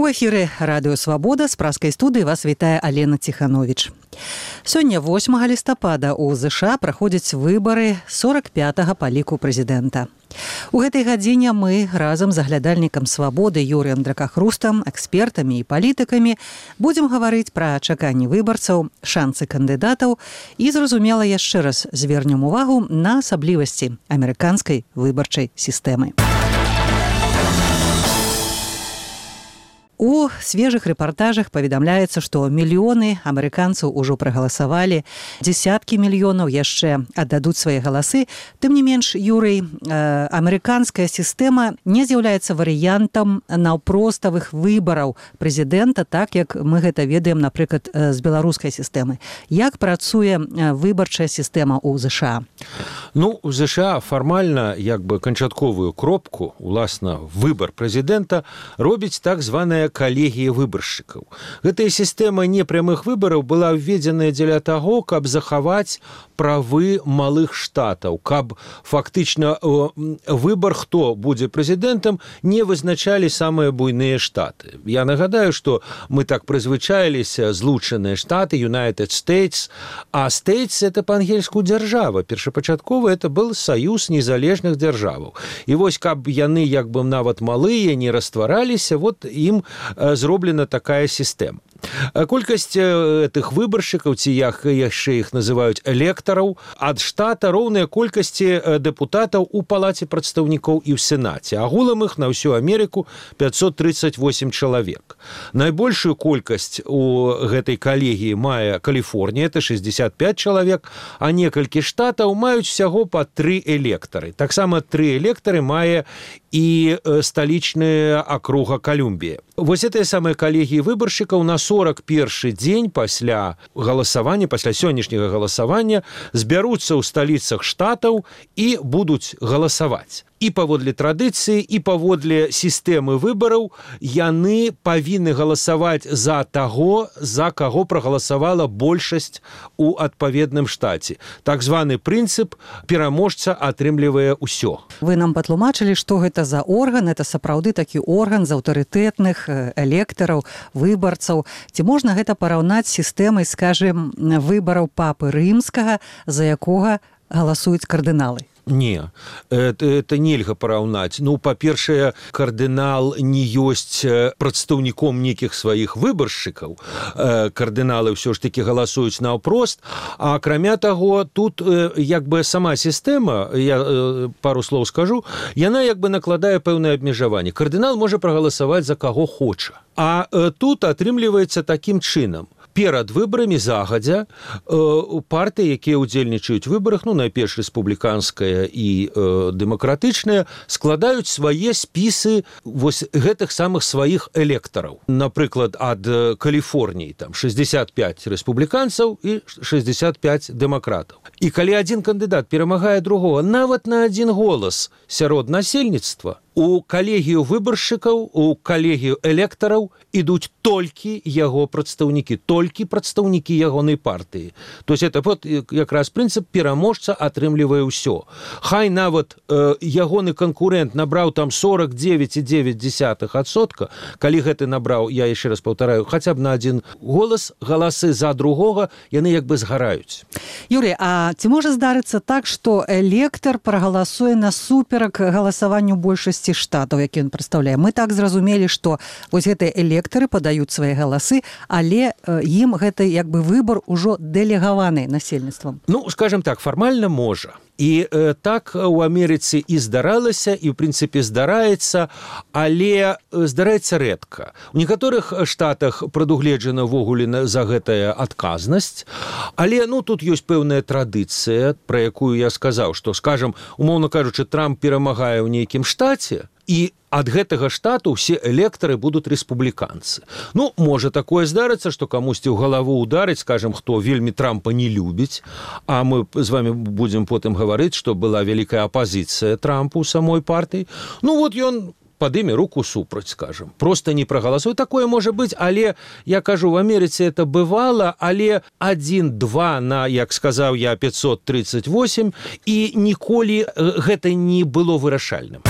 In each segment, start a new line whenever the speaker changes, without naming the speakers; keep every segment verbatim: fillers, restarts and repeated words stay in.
У эфіры радыё Свабода з праскай студыі вас вітае Алена Ціхановіч. Сёння восьмага лістапада ў ЗША праходзяць выбары сорок пятага па ліку прэзідэнта. У гэтай гадзіне мы разам з аглядальнікам Свабоды Юрыем Дракахрустам, экспертамі і палітыкамі будзем гаварыць пра чаканні выбарцаў, шансы кандыдатаў і, зразумела, яшчэ раз звернем увагу на асаблівасці амерыканскай выбарчай сістэмы. У свежых рэпартажах паведамляецца, што мільёны амерыканцаў ужо прагаласавалі, дзесяткі мільёнаў яшчэ аддадуць свае галасы. Тым не менш, Юрый, амерыканская сістэма не з'яўляецца варыянтам наўпроставых выбараў прэзідэнта, так як мы гэта ведаем, напрыклад, з беларускай сістэмы. Як працуе выбарчая сістэма ў ЗША?
Ну, у ЗША фармальна, як бы канчатковую кропку, уласна, выбар прэзідэнта робіць так званая калегія выбаршчыкаў. Гэтая сістэма непрямых выбараў была введзеная дзеля таго, каб захаваць правы малых штатаў, каб фактычна выбар, хто будзе прэзідэнтам, не вызначалі самыя буйныя штаты. Я нагадаю, што мы так прызвычаіліся злучаныя штаты, United States, а States — это па-ангельску дзяржава. Першапачаткова это был саюз незалежных дзяржаваў. І вось, каб яны як бы нават малыя не раствараліся, вот ім зроблена такая сістэма. Колькасць гэтых выбаршчыкаў, ці як яшчэ іх называюць электараў, ад штата роўная колькасці дэпутатаў у палаце прадстаўнікоў і ў сенаце. Агулам іх на ўсю Амерыку пятьсот тридцать восемь чалавек. Найбольшую колькасць у гэтай калегіі мае Каліфорнія, это шестьдесят пять чалавек, а некалькі штатаў маюць усяго па тры электары. Таксама тры электары мае і сталічная акруга Колумбія. Вось гэтыя самыя калегіі выбаршчыкаў на сорок першы дзень пасля галасавання, пасля сённяшняга галасавання збяруцца ў сталіцах штатаў і будуць галасаваць. І паводле традыцыі, і паводле сістэмы выбараў яны павінны галасаваць за таго, за каго прагаласавала большасць у адпаведным штаце. Так званы прынцып пераможца атрымлівае ўсё.
Вы нам патлумачылі, што гэта за орган, это сапраўды такі орган з аўтарытэтных электараў, выбарцаў. Ці можна гэта параўнаць з сістэмай, скажем, выбараў папы рымскага, за якога галасуюць кардыналы?
Не, это, это нельга параўнаць. Ну, па-першае, кардынал не ёсць прадстаўніком нейкіх сваіх выбаршчыкаў. Кардыналы ўсё ж такі галасуюць наўпрост, а акрамя таго, тут як бы сама сістэма, я пару слоў скажу, яна як бы накладае пэўнае абмежаванне. Кардынал можа прагаласаваць за каго хоча. А тут атрымліваецца такім чынам. Перад выбарамі загадзя партыі, якія ўдзельнічаюць у выбарах, ну, найперш рэспубліканская і э, дэмакратычная, складаюць свае спісы вось гэтых самых сваіх электараў. Напрыклад, ад Каліфорніі там шестьдесят пять рэспубліканцаў і шестьдесят пять дэмакратаў. І калі адзін кандыдат перамагае другого нават на адзін голас сярод насельніцтва, у калегію выбаршчыкаў, у калегію электараў ідуць толькі яго прадстаўнікі, толькі прадстаўнікі ягонай партыі. То есть это вот якраз прынцып пераможца атрымлівае ўсё. Хай нават э, ягоны канкурэнт набраў там сорок девять и девять десятых адсотка, калі гэты набраў, я яшчэ раз паўтараю, хаця б на адзін голас, галасы за другога, яны як бы згараюць.
Юрий, а ці можа здарыцца так, што электар прагаласуе насуперак галасаванню большасці штатаў, які ён прадстаўляе? Мы так зразумелі, што вось гэтыя электары падаюць свае галасы, але ім гэты як бы выбар ужо дэлегаваны насельніцтвам.
Ну, скажем так, фармальна можа. І э, так у Амерыцы і здаралася, і ў прынцыпе здараецца, але здараецца рэдка. У некаторых штатах прадугледжана ўвогуле за гэтая адказнасць, але ну тут ёсць пэўная традыцыя, пра якую я сказаў, што, скажам, умоўна кажучы, Трамп перамагае ў нейкім штаце, і ад гэтага штату ўсе электары будуць рэспубліканцы. Ну, можа такое здарыцца, што камусьці ў галаву ударыць, скажем, хто вельмі Трампа не любіць, а мы з вами будзем потым гаварыць, што была вялікая апазіцыя Трампу ў самой партыі. Ну, вот ён падыме руку супраць, скажем. Просто не прагаласуе. Такое можа быць, але, я кажу, в Амерыцы это бывала, але адзін-два на, як сказаў я, пятьсот тридцать восемь, і ніколі гэта не было вырашальным.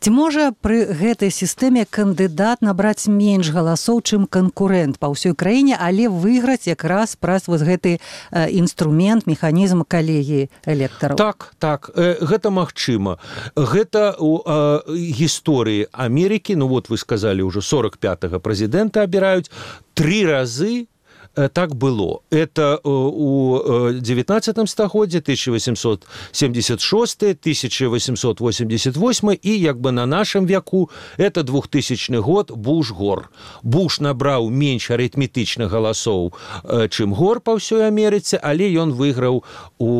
Ці можа пры гэтай сістэме кандыдат набраць менш галасоў, чым канкурэнт па ўсёй краіне, але выйграць якраз праз вось гэты інструмент, механізм калегіі электараў?
Так, так, гэта магчыма. Гэта у гісторыі Амерыкі, ну вот вы сказалі, ўжо сорок пятага прэзідэнта абіраюць, тры разы так было. Это у девятнадцатом стагоддзі тысяча восемьсот семьдесят шесты, тысяча восемьсот восемьдесят восьмы і як бы на нашым веку это двухтысячны год Буш-Гор. Буш набраў менш арытметычных галасоў, чым Гор па ўсёй Амерыцы, але ён выйграў у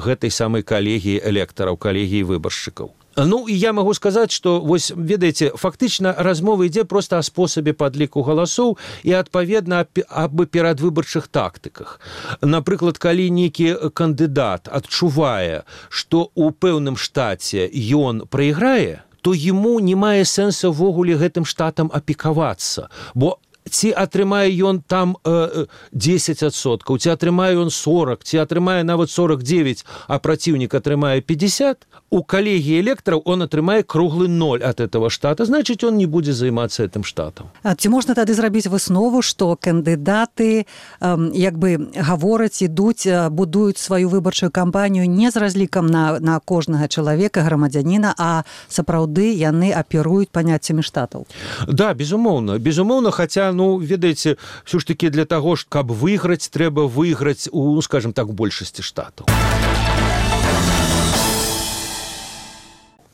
гэтай самай калегіі электараў, калегіі выбаршчыкаў. Ну, і я магу сказаць, што, вось, ведаеце, фактычна размова ідзе проста о спосабе падліку галасоў і, адпаведна, аб перадвыбарчых тактыках. Напрыклад, калі нейкі кандыдат адчувае, што ў пэўным штаце ён прайграе, то яму не мае сэнса ўвогуле гэтым штатам апекавацца, бо ці атрымае ён там э, дзесяць адсоткаў, ці атрымае ён сорок, ці атрымае нават сорок девять, а праціўнік атрымае пятьдесят, у калегіі электараў он атрымае круглы ноль от этого штата, значит, он не будзе займацца гэтым штатам.
А ці можна тады зрабіць выснову, што кандыдаты э, як бы гавораць, ідуць, будуюць сваю выбарчую кампанію не з разлікам на, на кожнага чалавека, грамадзяніна, а сапраўды яны аперуюць паняццямі штатаў?
Да, безумоўна, безумоўна, хаця ну, ведаеце, все ж таки для того, каб выйграць, трэба выйграць у, скажем так, большасці штатаў.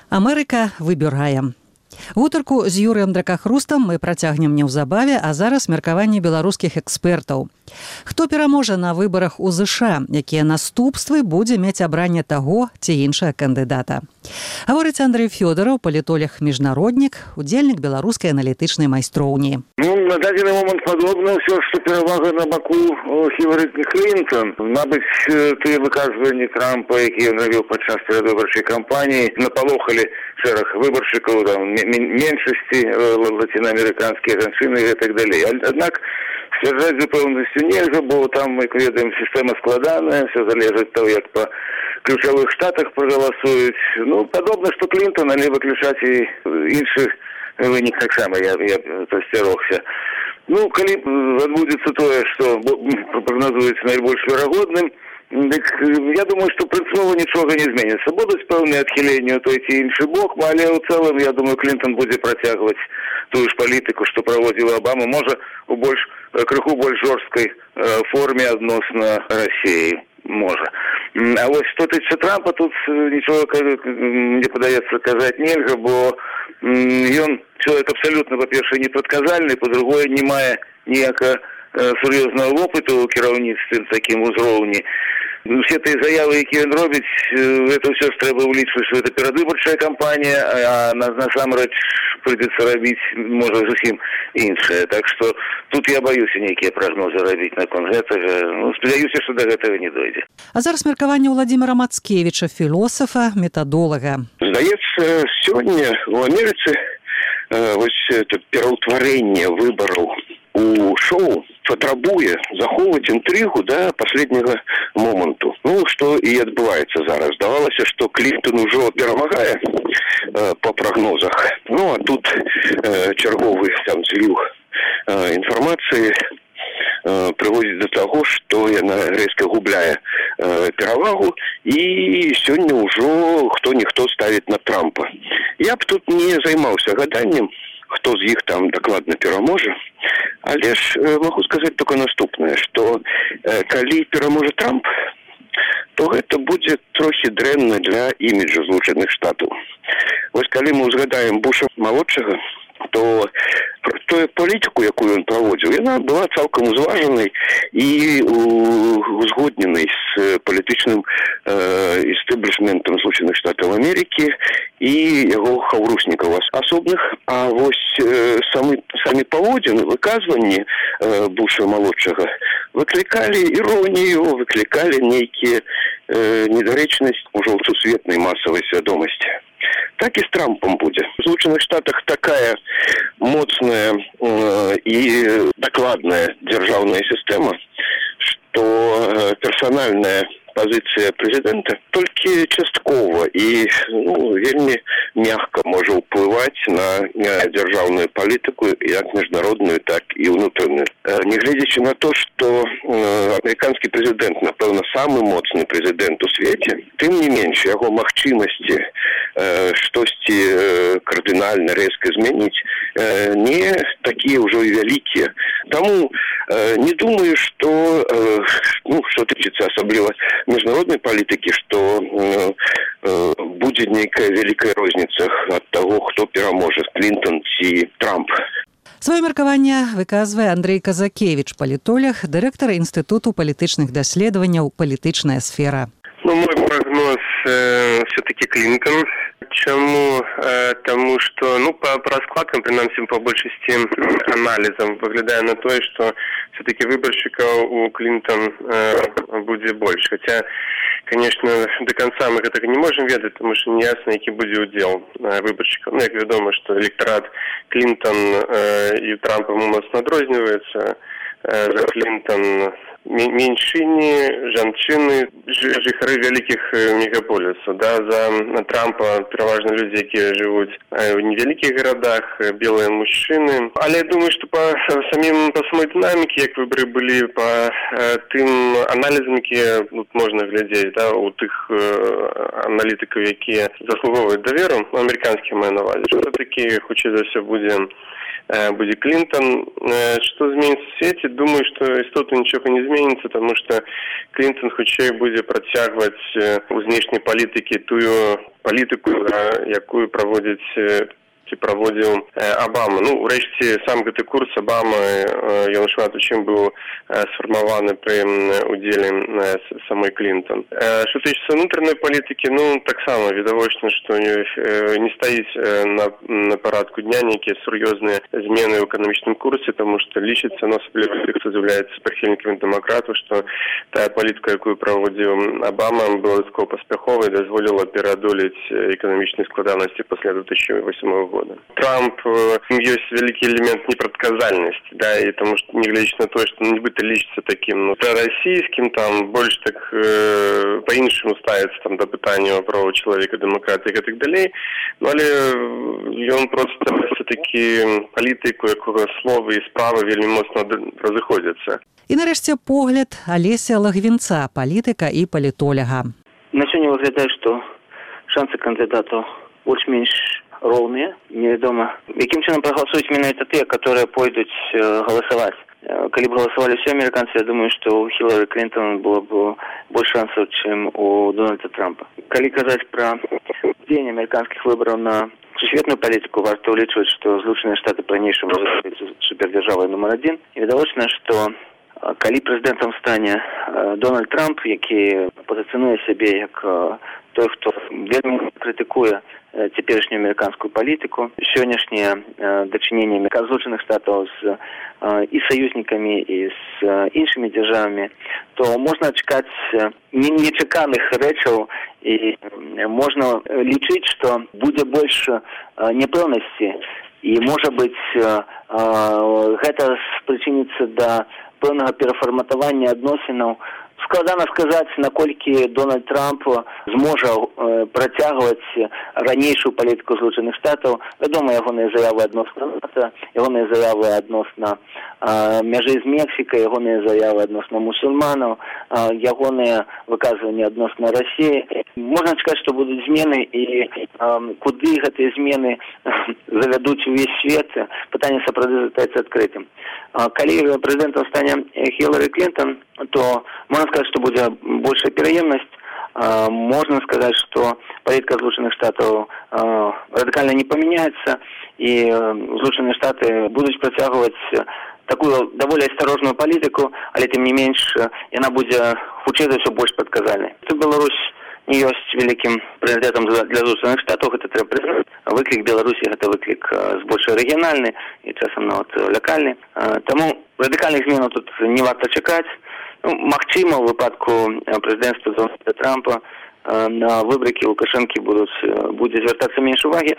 Амерыка выбірае. Гутарку з Юрыем Дракахрустам мы працягнем неўзабаве, а зараз меркаванне беларускіх экспертаў. Хто пераможа на выбарах у ЗША, якія наступствы будзе мець абранне таго ці іншага кандыдата? Гаворыць Андрэй Фёдараў, палітолог-міжнароднік, удзельнік беларускай аналітычнай майстроўні.
Ну, на дадзены момант падобна ўсё, што перавага на баку Хілары Клінтон. Мабыць, тыя выказванні Трампа, якія ён рабіў падчас перадвыбарчай кампаніі, напалохалі шэраг выбаршчыкаў, там, меншасці лацінаамерыканскія жанчыны і так далей. Аднак сцвярджаць з упэўненасцю нельга, бо там, як ведаем, сістэма складаная, все залежыць ад таго, як па ключавых штатах прагаласуюць. Ну, падобна, што Клінтон, але выключаць і іншых вынік таксама, я, я засцярогся. Ну, калі адбудзецца тое, што прагназуецца найбольш верагодным, дык я думаю, што прынцыпова нічога не зменіцца. Будуць пэўныя адхіленні ў той ці іншы бок, але ў цэлым, я думаю, Клінтон будзе працягваць тую ж палітыку, што праводзіла Абама, можа, у больш, крыху больш жорсткай форме адносна Расіі. Можа. А вось што тычыцца Трампа, тут нічога, мне падаецца, казаць нельга, бо ён чалавек абсалютна, па-першае, непрадказальны, па-другое, не мае ніякага сур'ёзнага вопыту ў кіраўніцтве на такім узроўні. Усе тыя заявы, якія ён робіць, гэта ўсё ж трэба ўлічваць, што гэта перадвыбарчая кампанія, а насамрэч прыйдзецца рабіць, можа, зусім іншае. Так што тут я баюся нейкія прагнозы рабіць наконт гэтага. Ну, спадзяюся, што да гэтага не дойдзе.
А зараз меркаванне Владзіміра Мацкевіча, філосафа, метадолага.
Здаецца, сёння ў Амерыцы э, вось это пераўтварэнне выбараў у шоу патрабуе захоўваць інтрыгу да последняга моманту. Ну, што і адбываецца зараз. Здавалася, што Клінтон ужо перамагае э, па прагнозах. Ну, а тут э, чарговы там зліў э, інфармацыі э, прыводзіць да таго, што яна рэзка губляе э, перавагу, і сёння ўжо хто-ніхто ставіць на Трампа. Я б тут не займаўся гаданнем, хто з іх там дакладна пераможа, але ж э, магу сказаць толькі наступнае, што э, калі пераможа Трамп, то гэта будзе трохі дрэнна для іміджу Злучаных Штатаў. Вось калі мы ўзгадаем Буша малодшага, то тую палітыку, якую ён праводзіў, яна была цалкам узважанай і узгодненай з палітычным э, істэблішментам Злучаных Штатаў Амерыкі і яго хаўруснікаў асобных. А вось э, самі, самі паводзіны, выказванні э, Буша малодшага выклікалі іронію, выклікалі нейкія э, недарэчнасць ужо ў сусветнай масавай свядомасці. Так і з Трампом будзе. В Злучаных Штатах такая моцная э, і дакладная дзяржаўная сістэма, што э, персанальная пазіцыя прэзідэнта толькі часткова і ну, вельмі мягка можа ўплываць на дзяржаўную палітыку як міжнародную, так і ўнутраную. Нягледзячы на то, што амерыканскі прэзідэнт, напэўна, самы моцны прэзідэнт у свеце, тым не менш яго магчымасці штосьці кардынальна рэзка змяніць не такія ўжо і вялікія. Таму не думаю, што ну, што тычыцца асабліва міжнароднай палітыкі, што будзе нейкая вялікая розніца ад таго, хто пераможа, Клінтон ці Трамп.
Сваё меркаванне выказвае Андрэй Казакевіч, палітолог, дырэктар Інстытуту палітычных даследаванняў «Палітычная сфера».
Ну, мой прогноз э, все-таки Клинтон. Чему? Э, тому, что, ну, по, по раскладкам, принаймні, по большести анализам, выглядая на то, что все-таки выборщиков у Клинтон э, будет больше. Хотя, конечно, до конца мы это не можем ведать, потому что не ясно, який будет удел э, выборщиков. Ну, як відомо, что электорат Клинтон э, и Трампа моцно адрозніваецца. Э, за Клинтон меньшини, жанчыны, жыхары вялікіх мегаполісаў. Да, за Трампа пераважна людзі, якія жывуць в невялікіх гарадах, белыя мужчыны. Але я думаю, што па самім па самой дынаміке, як выбары былі, па тым аналізам, якія тут можна глядзець, да, у тых аналітыкаў, якія заслуговваюць даверу, амерыканскіх маю на ўвазе, што такі, хутчэй за ўсё будзе будет Клинтон. Что изменится в свете? Думаю, что истотно ничего не изменится, потому что Клинтон хутчэй будет протягивать у внешней политики ту политику, якую проводит ці праводзіў Абама. Ну, урэшце, сам гэты курс Абама, ён шмат у чым быў сфармаваны пры удзеле самой Клинтон. Што тычыцца унутранай палітыкі, ну, таксама відавочна, што не стаіць на, на парадку дня нейкія сур'ёзныя змены ў эканамічным курсе, таму што лічыцца, ну, асабліва тых, хто з'яўляецца прыхільнікамі дэмакратаў, што тая палітыка, якую праводзіў Абама, была дастаткова паспяховай, дазволіла пераадолець эканамічныя складанасці пасля две тысячи восьмого года. Трамп, есть великий элемент непредсказальности, да, и потому что, не глядя на то, что он нібито лічиться таким, ну, пророссийским, там, больше так э, по-іншому ставится, там, до питання права чоловіка, демократії і так далі, ну, але він просто все-таки політику, якого слова і справи вельми моцно розходяться.
І нарешті погляд Олеся Лагвінца, політика і політолога.
На сёння выглядае, што шансы кандыдатаў больш-менш роўныя. Невядома, якім чынам прагаласуюць менавіта тыя, которые пойдуць э, галасаваць. Э, калі б галасавалі ўсе амерыканцы, я думаю, што у Хілары Клінтон было б больш шансаў, чым у Дональда Трампа. Калі казаць пра дзеянне амерыканскіх выбараў на сусветную палітыку, варта ўлічваць, што Злучаныя Штаты па-ранейшаму застаюцца супердзяржавай нумар адзін. І відавочна, што калі прэзідэнтам стане э, Дональд Трамп, які пазіцыянуе сябе як э, той, хто вельмі крытыкуе цяперашнюю амерыканскую палітыку, сённяшнія э, дачыненні Злучаных Штатаў з э, і саюзнікамі, і з э, іншымі дзяржавамі, то можна чакаць э, нечаканых рэчаў і можна лічыць, што будзе больш э, няпэўнасці і, можа быць, э, э, гэта спрычыніцца да пэўнага перафарматавання адносінаў. Складана сказаць, наколькі Дональд Трамп зможа э, працягваць ранейшую палітыку Злучаных Штатаў. Вядома, ягоныя заявы адносна НАТО, ягоныя заявы адносна э, мяжы з Мексікай, ягоныя заявы адносна мусульманаў, э, ягоныя выказванні адносна Расіі. Можна чакаць, што будуць змены, і э, куды гэтыя змены завядуць увесь свет, пытанне сапраўды застаецца адкрытым. Э, калі прэзідэнтам стане Хілары Клінтон, то можна сказаць, што будзе большая пераемнасць. Э, можна сказаць, што палітыка Злучаных Штатаў э, радыкальна не памяняецца, і э, Злучаныя Штаты будуць працягваць такую даволі асцярожную палітыку, але тым не менш яна будзе хутчэй за ўсё больш прадказальнай. Тут Беларусь не ёсць вялікім прыярытэтам для Злучаных Штатаў, гэта трэба прызнаць. Выклік Беларусі гэта выклік збольш рэгіянальны і часам нават лакальны. Э, таму радыкальных зменаў тут не варта чакаць. Ну, магчыма, у выпадку прэзідэнцтва Дональда Трампа э, на выбракі Лукашэнкі будуць, будзе звяртацца менш увагі.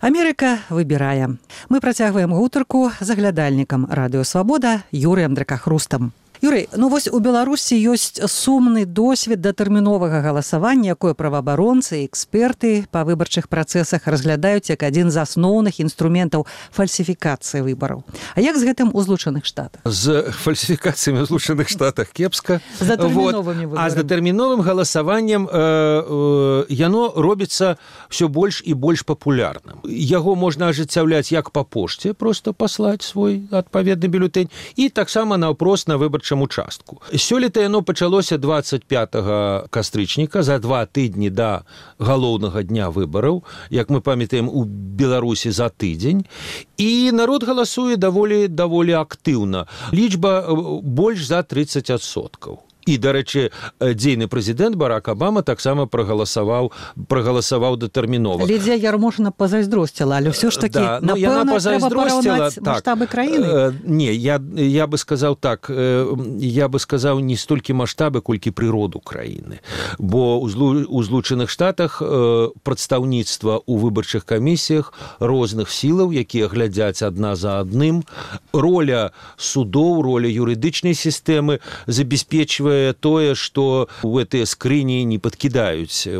Амерыка выбірае. Мы працягваем гутарку з аглядальнікам радыё Свабода Юрыем Дракахрустам. Юрый, ну вось у Беларусі ёсць сумны досвед датэрміновага галасавання, якое праваабаронцы і эксперты па выбарчых працэсах разглядаюць як адзін з асноўных інструментаў фальсіфікацыі выбараў. А як з гэтым у Злучаных Штатах?
З фальсіфікацыямі ў Злучаных Штатах кепска.
З датэрміновымі выбарамі.
А з датэрміновым галасаваннем э, э, яно робіцца ўсё больш і больш папулярным. Яго можна ажыццяўляць як па пошце, проста паслаць свой адпаведны бюлетэнь, і таксама наўпрост на выбарчым участку. Сёлета яно пачалося дваццаць пятага кастрычніка, за два тыдні да галоўнага дня выбараў, як мы памятаем, у Беларусі за тыдзень, і народ галасуе даволі даволі актыўна. Лічба больш за тридцать адсоткаў. І, дарэчы, дзейны прэзідэнт Барак Абама таксама прагаласаваў прагаласаваў датэрмінова.
Лідзія Ярмошына пазайздросціла, але ўсё ж такі,
да, ну,
напэўна, трэба параўнаць
так,
маштабы краіны?
Э, не, я, я бы сказаў так, э, я бы сказаў не столькі маштабы, колькі прыроду краіны. Бо ў, Злу, ў Злучаных Штатах э, прадстаўніцтва ў выбарчых камісіях розных сілаў, якія глядзяць адна за адным. Роля судоў, роля юрыдычнай сістэмы забяспечвае тое, што ў гэтыя скрыні не падкідаюць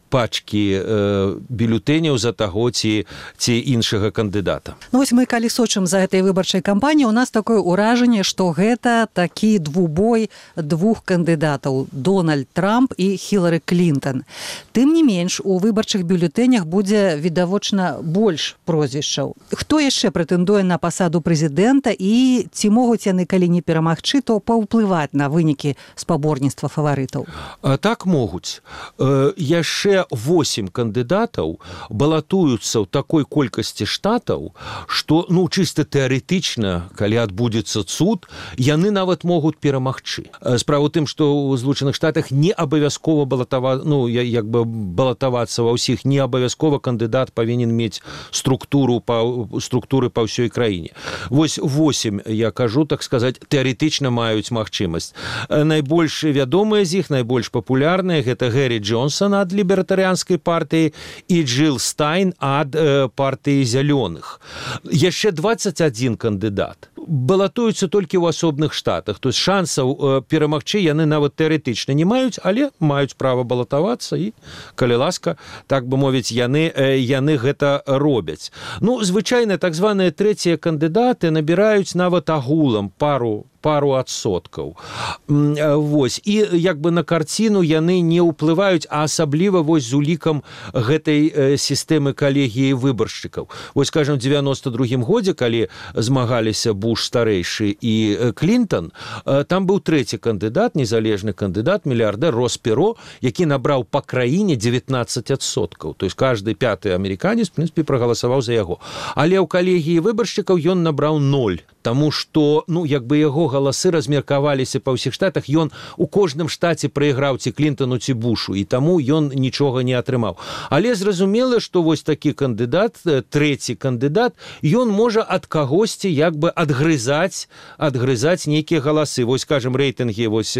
пачкі э, бюлетэняў за таго ці, ці іншага кандыдата.
Ну вось мы калі сочым за гэтай выбарчай кампаніяй, у нас такое ўражанне, што гэта такі двубой двух кандыдатаў: Дональд Трамп і Хілары Клінтон. Тым не менш, у выбарчых бюлетэнях будзе відавочна больш прозвішчаў. Хто яшчэ прэтэндуе на пасаду прэзідэнта і ці могуць яны, калі не перамагчы, то паўплываць на вынікі спаборніцтва фаварытаў?
А так могуць. Э, яшчэ восемь кандыдатаў балатуюцца ў такой колькасці штатаў, што, ну, чыста тэарэтычна, калі адбудзецца цуд, яны нават могуць перамагчы. Справа ў тым, што ў Злучаных Штатах не абавязкова балатава... ну, як бы балатавацца ва ўсіх, не абавязкова кандыдат павінен мець структуру па... структуры па ўсёй краіне. Вось восемь, я кажу, так сказаць, тэарэтычна маюць магчымасць. Найбольш вядомыя з іх, найбольш папулярныя, гэта Гэри Джонсон ад лібертарыянскай партыі і Джилл Стайн ад э, партыі зялёных. Яшчэ дваццаць адзін кандыдат балатуюцца толькі ў асобных штатах. То есть шансаў э, перамагчы яны нават тэарэтычна не маюць, але маюць права балатавацца і, калі ласка, так бы мовіць, яны, э, яны гэта робяць. Ну, звычайна, так званыя трэція кандыдаты набіраюць нават агулам пару пару адсоткаў. Вось. І як бы на карціну яны не ўплываюць, а асабліва вось з улікам гэтай э, сістэмы калегіі выбаршчыкаў. Вось, скажем, у дзевяноста другім годзе, калі змагаліся Буш старэйшы і э, Клінтон, э, там быў трэці кандыдат, незалежны кандыдат, мільярдэр Росс Перо, які набраў па краіне дзевятнаццаць адсоткаў. То есть кажды пяты амерыканец, в прынцыпе, прагаласаваў за яго. Але ў калегіі выбаршчыкаў ён набраў ноль. Таму што, ну, як бы яго галасы размеркаваліся па ўсіх штатах, ён у кожным штаце прайграў ці Клінтону, ці Бушу, і таму ён нічога не атрымаў. Але зразумела, што вось такі кандыдат, трэці кандыдат, ён можа ад кагосьці як бы адгрызаць, адгрызаць нейкія галасы. Вось, скажем, рэйтынгі вось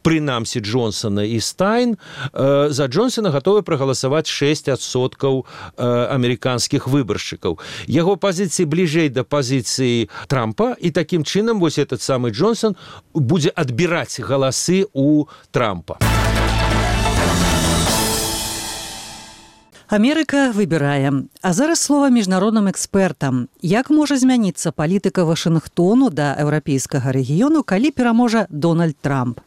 прынамсі Джонсона і Стайн, за Джонсона гатовы прагаласаваць шэсць адсоткаў амерыканскіх выбаршчыкаў. Яго пазіцыі бліжэй да пазіцыі Трампа, і такім чынам вось этот самы Джонсон будзе адбіраць галасы у Трампа.
Амерыка выбірае. А зараз слова міжнародным экспертам. Як можа змяніцца палітыка Вашынгтону да еўрапейскага рэгіёну, калі пераможа Дональд Трамп?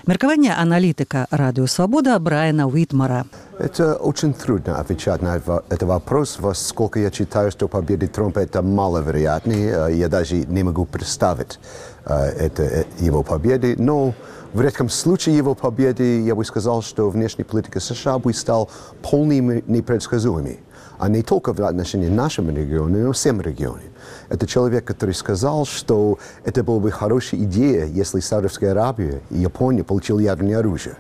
Меркование аналитика «Радио Свобода» Брайана Уитмара.
Это очень трудно отвечать на этот вопрос. Сколько я читаю, что победа Трампа это маловероятно. Я даже не могу представить это его победы. Но в редком случае его победы я бы сказал, что внешняя политика США бы стала полной непредсказуемой. А не только в отношении нашего региона, но и всем регионам. Это человек, который сказал, что это была бы хорошая идея, если Саудовская Аравия и Япония получили ядерное оружие.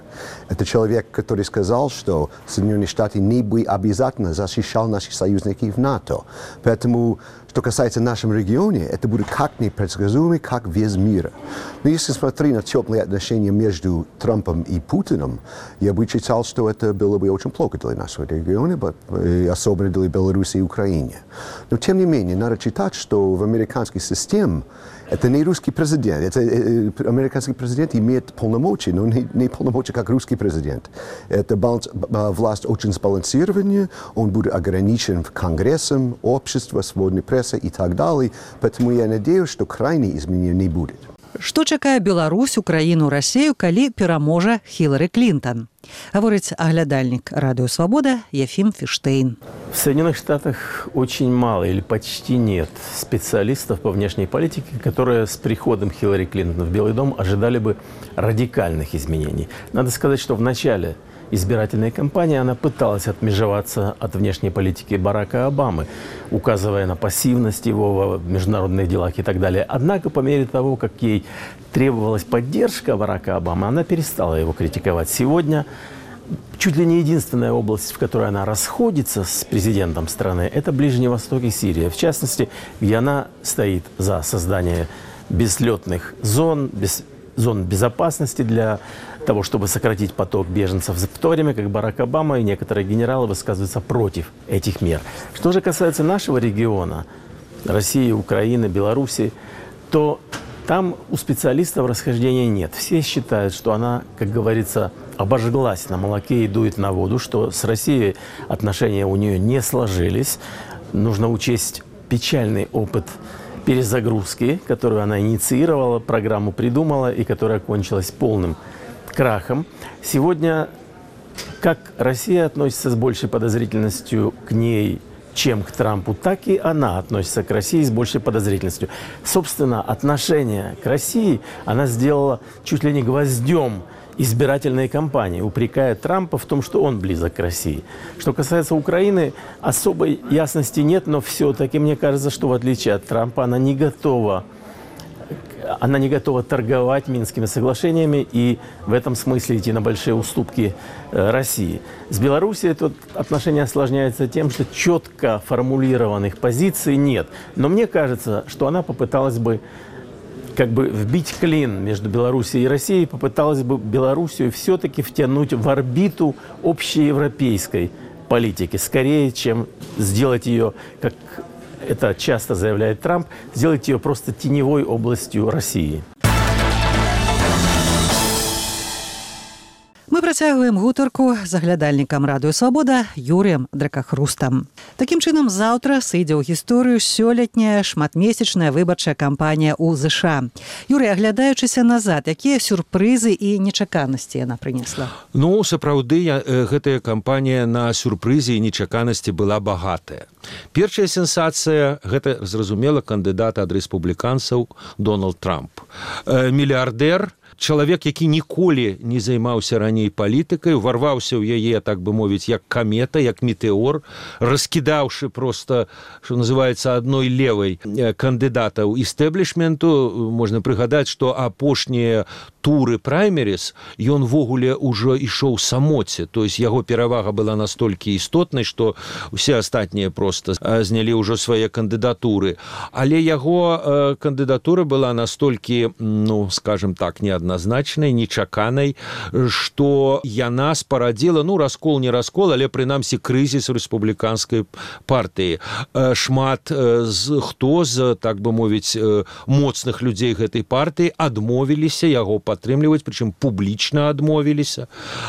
Это человек, который сказал, что Соединенные Штаты не бы обязательно защищали наших союзников в НАТО. Поэтому Что касается нашего региона, это будет как непредсказуемо, как весь мир. Но если смотреть на теплые отношения между Трампом и Путиным, я бы считал, что это было бы очень плохо для нашего региона, особенно для Беларуси и Украины. Но тем не менее, надо считать, что в американской системе это не русский президент. Это, э, американский президент имеет полномочия, но не, не полномочия, как русский президент. Это баланс, власть очень сбалансированная, он будет ограничен Конгрессом, обществом, свободной прессой и так далее. Поэтому я надеюсь, что крайних изменений не будет.
Што чакае Беларусь, Украіну, Расею, калі пераможа Хілары Клінтон? Говорит оглядальник «Радио Свобода» Ефим Фиштейн.
В Соединенных Штатах очень мало или почти нет специалистов по внешней политике, которые с приходом Хиллари Клинтон в Белый дом ожидали бы радикальных изменений. Надо сказать, что в начале избирательной кампании она пыталась отмежеваться от внешней политики Барака Обамы, указывая на пассивность его в международных делах и так далее. Однако, по мере того, как ей требовалась поддержка Барака Обамы, она перестала его критиковать. Сегодня чуть ли не единственная область, в которой она расходится с президентом страны, это Ближний Восток и Сирия. В частности, где она стоит за создание безлетных зон, без, зон безопасности для того, чтобы сократить поток беженцев, в то время как Барак Обама и некоторые генералы высказываются против этих мер. Что же касается нашего региона, России, Украины, Беларуси, то там у специалистов расхождения нет. Все считают, что она, как говорится, обожглась на молоке и дует на воду, что с Россией отношения у нее не сложились. Нужно учесть печальный опыт перезагрузки, которую она инициировала, программу придумала и которая кончилась полным крахом. Сегодня как Россия относится с большей подозрительностью к ней, чем к Трампу, так и она относится к России с большей подозрительностью. Собственно, отношение к России она сделала чуть ли не гвоздем избирательной кампании, упрекая Трампа в том, что он близок к России. Что касается Украины, особой ясности нет, но все-таки мне кажется, что в отличие от Трампа она не готова Она не готова торговать Минскими соглашениями и в этом смысле идти на большие уступки России. С Белоруссией тут отношения осложняются тем, что четко формулированных позиций нет. Но мне кажется, что она попыталась бы как бы вбить клин между Белоруссией и Россией, попыталась бы Белоруссию все-таки втянуть в орбиту общеевропейской политики, скорее, чем сделать ее, как это часто заявляет Трамп, сделать ее просто теневой областью России.
Мы працягваем гутарку з аглядальнікам «Радыё Свабода» Юрыем Дракахрустам. Такім чынам, заўтра сыдзе ў гісторыю сёлетняя шматмесячная выбарчая кампанія ў ЗША. Юрый, аглядаючыся назад, якія сюрпрызы і нечаканасці яна прынесла?
Ну, сапраўды, гэтая кампанія на сюрпрызе і нечаканасці была багатая. Першая сенсацыя – гэта, зразумела, кандыдат ад рэспубліканцаў Дональд Трамп. Мільярдэр, чалавек, які ніколі не займаўся раней палітыкай, уварваўся ў яе, так бы мовіць, як камета, як метэор, раскідаўшы проста, што называецца, адной левай кандыдатаў істэблішменту. Можна прыгадаць, што апошнія туры праймеріс ён ввогуле ўжо ішоў самоце, то есть яго перавага была настолькі істотнай, што усе астатнія проста знялі ўжо свае кандыдатуры. Але яго кандыдатура была настолькі, ну, скажем так, неадназначнай, нечаканай, што яна спарадзіла, ну, раскол не раскол, але прынамсі крызіс рэспубліканскай партыі. Шмат з хто з, так бы мовіць, моцных людзей гэтай партыі адмовіліся яго падтрымліваць, прычым публічна адмовіліся.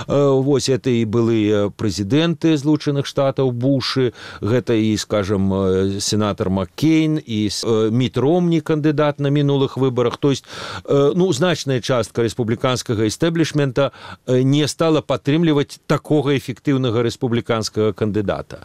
Вось это і былыя прэзідэнты Злучаных Штатаў Бушы, гэта і, скажем, сенатор Маккейн, і Міт Ромні, кандыдат на мінулых выбарах. То есть, ну, значная частка рэспубліканскага істэблішмента не стала падтрымліваць такога эфектыўнага рэспубліканскага кандыдата.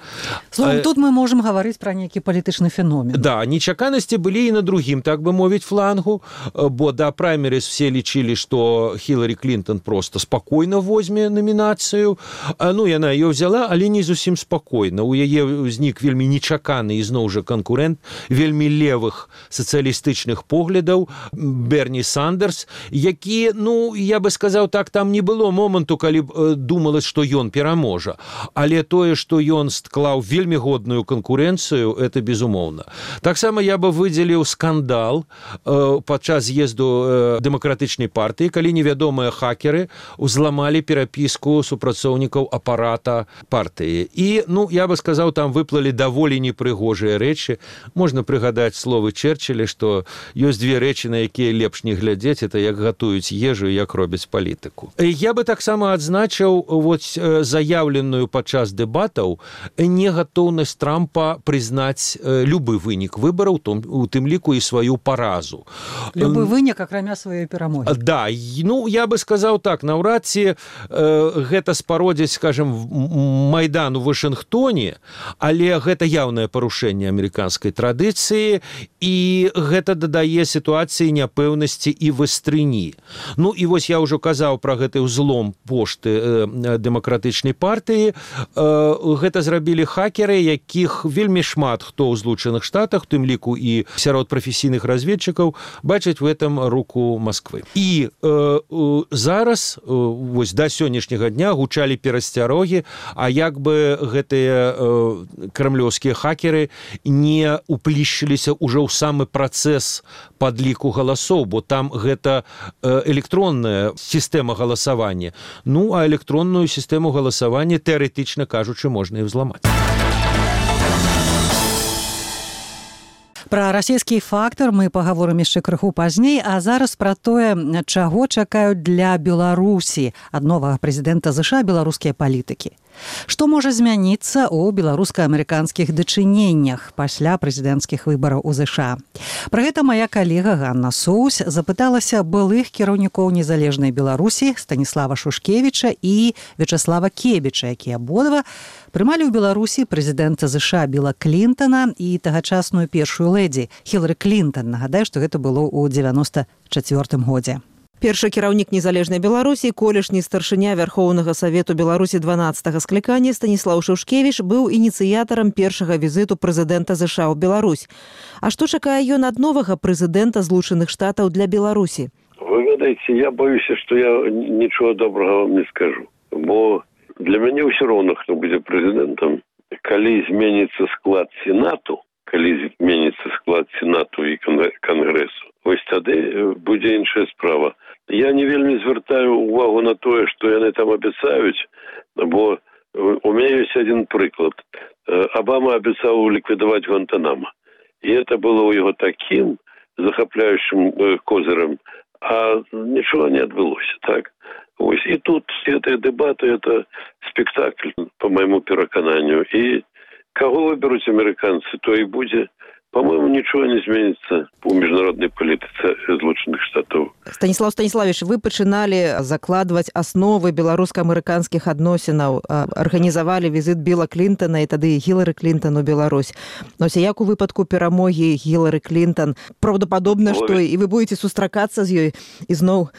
Словом, тут мы можем гаварыць пра нейкі палітычны феномен.
Да, нечаканасці былі і на другім, так бы мовіць, флангу, бо да праймеріс все лічылі, што Хілари Клінтон просто спакойна возьме намінацыю. Ну, яна ее взяла, але не зусім спакойна. У яе ўзнік вельмі нечаканы і зноў жа канкурэнт вельмі левых сацыялістычных поглядаў Берні Сандерс, які які, ну, я бы сказаў так, там не было моманту, калі б думалось, што ён пераможа. Але тое, што ён склаў вельмі годную канкурэнцыю, это безумоўна. Таксама я бы выдзеліў скандал э, падчас з'езду э, дэмакратычнай партыі, калі невядомыя хакеры узламалі перапіску супрацоўнікаў апарата партыі. І, ну, я бы сказаў, там выплылі даволі непрыгожыя рэчы. Можна прыгадаць словы Черчилля, што ёсць две рэчы, на якія лепш не глядзець, это як гатуюць ежу і як робяць палітыку. Я бы таксама адзначыў вот, заяўленую падчас дэбатаў негатоўнасць Трампа прызнаць любы вынік выбараў, у тым ліку і сваю паразу.
Любы вынік, акрамя сваёй перамогі.
Да, ну, я бы сказаў так, наўрад ці э, гэта спародзіць, скажем, Майдан у Вашынгтоне, але гэта яўнае парушэнне амерыканскай традыцыі, і гэта дадае сітуацыі няпэўнасці і вастрыні. Ну, і вось я ўжо казаў пра гэты ўзлом пошты э, дэмакратычнай партыі. Э, гэта зрабілі хакеры, якіх вельмі шмат хто ў Злучаных Штатах, у тым ліку і сярод прафесійных разведчыкаў, бачаць в этом руку Москвы. І э, зараз, э, вось да сённяшняга дня гучалі перасцярогі, а як бы гэтыя э, крамлёўскія хакеры не уплішчыліся ўжо ў самы працэс падліку галасоў, бо там гэта э, электронная сістэма галасавання. Ну, а электронную сістэму галасавання, тэарэтычна кажучы, можна і взламаць.
Пра расійскі фактар мы пагаворым яшчэ крыху пазней, а зараз пра тое, чаго чакаюць для Беларусі ад новага прэзідэнта ЗША беларускія палітыкі. Што можа змяніцца ў беларуска-амерыканскіх дачыненнях пасля прэзідэнцкіх выбараў у ЗША? Пра гэта мая калега Ганна Соус запыталася былых кіраўнікоў незалежнай Беларусі Станіслава Шушкевіча і Вячаслава Кебіча, якія абодва прымалі ў Беларусі прэзідэнта ЗША Біла Клінтана і тагачасную першую лэдзі Хілары Клінтан. Нагадаю, што гэта было ў дзевяноста чацвёртым годзе.
Першы кіраўнік незалежнай Беларусі, колішні старшыня Вярхоўнага Савету Беларусі дванаццатага склікання Станіслаў Шушкевіч быў ініцыятарам першага візіту прэзідэнта ЗША ў Беларусь. А што чакае ён ад новага прэзідэнта Злучаных Штатаў для Беларусі?
Вы ведаеце, я боюся, што я нічого добрага вам не скажу. Бо для мяне ўсё роўна, хто будзе прэзідэнтам. Калі зменіцца склад Сенату, калі зменіцца склад Сенату і Кангрэсу, вось тады будзе іншая справа. Я не вельмі звяртаю увагу на тое, што яны там абяцаюць, бо у мяне ёсць адзін прыклад. Обама абяцаў ліквідаваць Гуантанамо. І это было ў яго такім захапляючым козырам, а нічога не адбылося, так? Вось і тут гэтыя дэбаты, это спектакль, по майму перакананню. І каго выберуць амерыканцы, то і будзе. По-моему, нічого не зменіцца у міжнароднай палітыцы Злучаных Штатаў.
Станіслав Станіславович, вы пачыналі закладваць асновы беларуска-амерыканскіх адносінаў, арганізавалі візіт Біла Клінтана і тады Хілары Клінтан у Беларусь. Ось як у выпадку перамогі Хілары Клінтан, праўдападобна, што і вы будете сустракацца з ёй ізноў?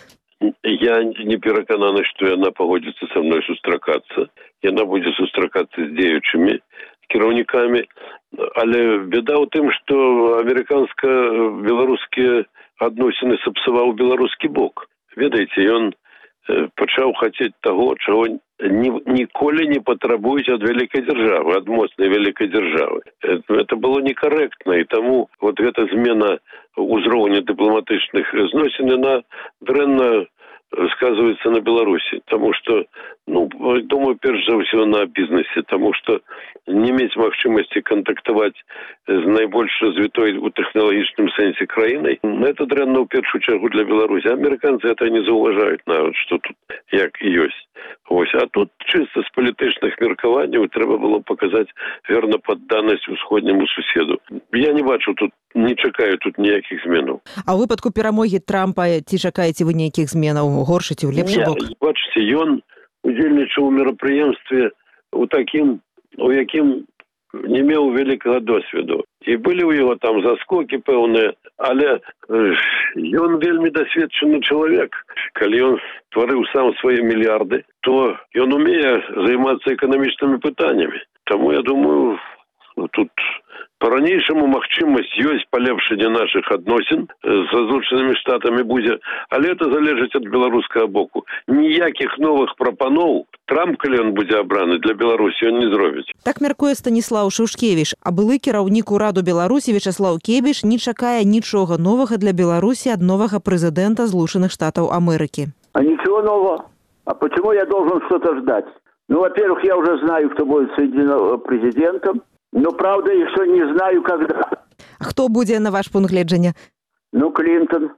Я не перакананы, што яна пагодзіцца са мной сустракацца. Яна будзе сустракацца з дзеючымі кіраўнікамі. Але беда ў тым, што амерыканска-беларускія адносіны сапсаваў беларускі бок. Ведаеце, ён пачаў хацець таго, чаго ніколі не патрабуюць ад вялікай дзяржавы, ад моцнай вялікай дзяржавы. Это было некарэктна, і таму вот гэта змена ўзроўня дыпламатычных зносін, яна дрэнна сказывается на Беларуси, потому что, ну, думаю, перш за ўсё на бізнесе, потому что не мець магчымасці кантактаваць з найбольш развітой у тэхналагічным сэнсе краінай, это дрэнна ў першую чаргу для Беларусі. Амерыканцы это не заўважаюць нават, што тут як і ёсць. Ось, а тут чыста з палітычных меркаванняў трэба было паказаць верна падданасць усходняму суседу. Я не бачу тут, не чакаю тут ніякіх зменаў.
А ў выпадку перамогі Трампа ці чакаеце вы нейкіх зменаў, горшы ці ў лепшы бок?
Бачыце, ён удзельнічаў у мерапрыемстве у такім, у якім не меў вялікага досведу. І былі ў яго там заскокі пэўныя, але ён вельмі дасведчаны чалавек. Калі ён стварыў сам свае мільярды, то ён умее займацца эканамічнымі пытаннямі. Таму, я думаю, тут по-ранейшаму магчымасць ёсць палепшэння нашых адносін з Злучанымі Штатамі будзе, але это залежыць ад беларускага боку. Ніякіх новых прапаноў Трамп, калі ён будзе абраны, для Беларусі ён не зробіць.
Так мяркуе Станіслаў Шушкевіч, а былы кіраўнік ураду Беларусі Вячаслаў Кебіш не чакае нічога новага для Беларусі ад новага прэзідэнта Злучаных Штатаў Амерыкі.
А ничего нового? А почему я должен что-то ждать? Ну, во-первых, я уже знаю, кто будет президентом. Но, правда, еще не знаю, когда.
А хто будзе, на ваш пункт гледжання?
Ну, Клинтон.